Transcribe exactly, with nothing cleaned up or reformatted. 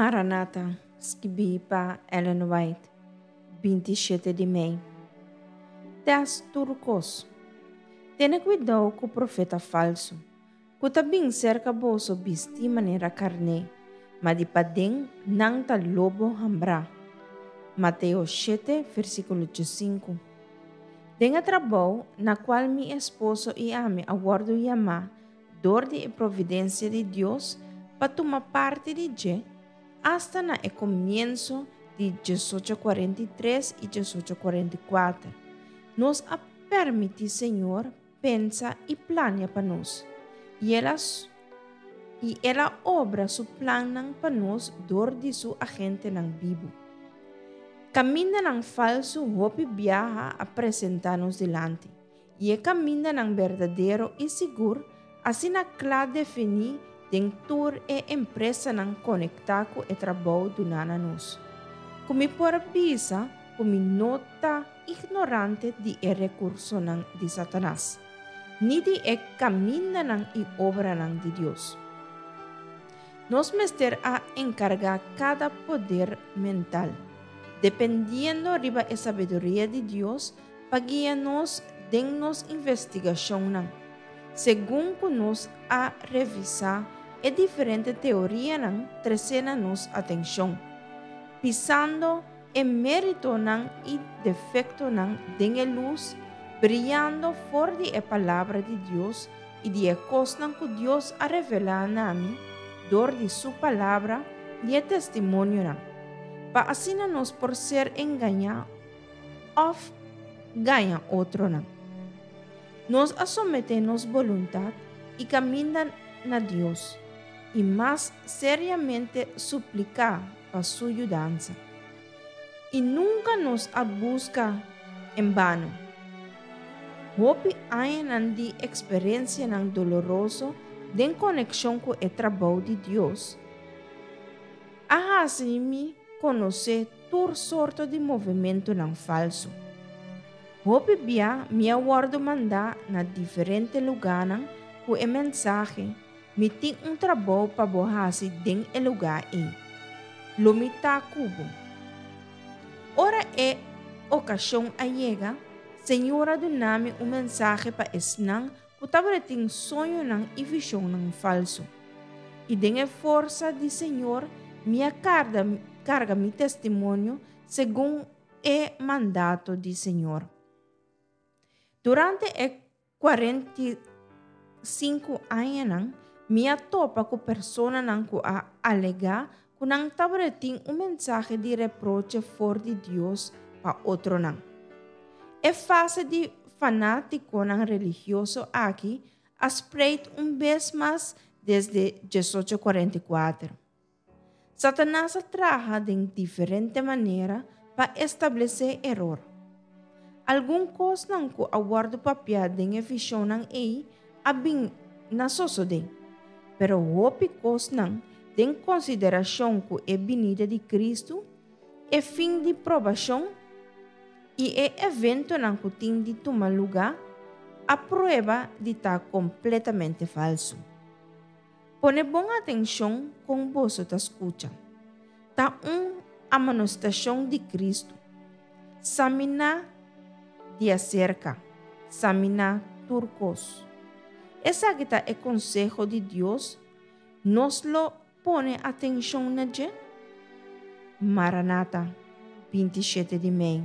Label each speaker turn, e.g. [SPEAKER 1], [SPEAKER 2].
[SPEAKER 1] Maranata, skibí pa Ellen White, binti shete di mei. Tèst tur kos. Tene kuidou ku profeta falsu, ku ta bin serka boso bistí manera karné, ma di paden nan ta lobo hambrá. Mateo shete, versíkulo sinku. Den e trabou na kual mi esposo i ami a wòrdu yamá dor di e providensia di Dios pa tuma parti di dje, asta na e komienso di diesocho kuarenta i tres i diesocho kuarenta i kuater, nos a permití Señor pensa i plania pa nos, i el a i el a obra su plannan pa nos dor di su agentenan bibu. Kamindanan falsu hopi biaha a presentá nos dilanti, i e kamindanan berdadero i sigur asina kla definí den tur e empresanan konektá ku e trabou duná na nos. Ku mi por bisa ku mi no ta ignorante di e rekursonan di Satanas, ni di e kamindanan i obranan di Dios. Nos mester a enkargá kada poder mental, dependiendo riba e sabiduria di Dios pa guia nos den nos investigashonnan, segun ku nos a revisá e diferente teorianan tresé na nos atenshon, pisando e méritonan i defektonan den e lus briyando for di e Palabra di Dios i di e kosnan ku Dios a revelá na mi dor di su Palabra i e testimonionan, pa asina nos por ser engañá òf gaña otronan. Nos a someté nos boluntat i kaminda na Dios, i mas seriamente supliká pa su yudansa. I nunka nos a buska en bano. Hopi añanan di eksperensianan doloroso den konekshon ku e trabou di Dios a hasi mi konosé tur sorto di movementunan falsu. Hopi bia mi a wòrdu mandá na diferente lugánan ku e mensahe, Mi tin un trabou pa bo hasi den e lugá ei. Lo mi ta ku bo. Ora e okashon a yega, Señor a duna mi un mensahe pa esnan ku tabatin soñonan i vishonnan falsu. I den e forsa di Señor mi a karga, karga mi testimonio segun e mandato di Señor. Durante e kuarenta i sinku añanan, mi a topa ku personanan ku a alegá ku nan tabatin un mensahe di reproche for di Dios pa otronan. E fase di fanátikonan religioso aki a spreid un bes mas desde diesocho kuarenta i kuater. Satanas a traha den diferente manera pa establesé eror. Algun kosnan ku a wòrdu papiá den e vishonnan ei a bin na sosodé, pero hopi kosnan den konsiderashon ku e binida di Kristu, e fin di probashon i e eventonan ku tin di tuma lugá, a prueba di ta kompletamente falsu. Pone bon atenshon kon boso ta skucha. Ta un amonestashon di Kristu. Saminá di aserka, saminá tur kos. Esaki ta e konseho di Dios, nos lo pone atenshon na dje? Maranata, binti shete di mei.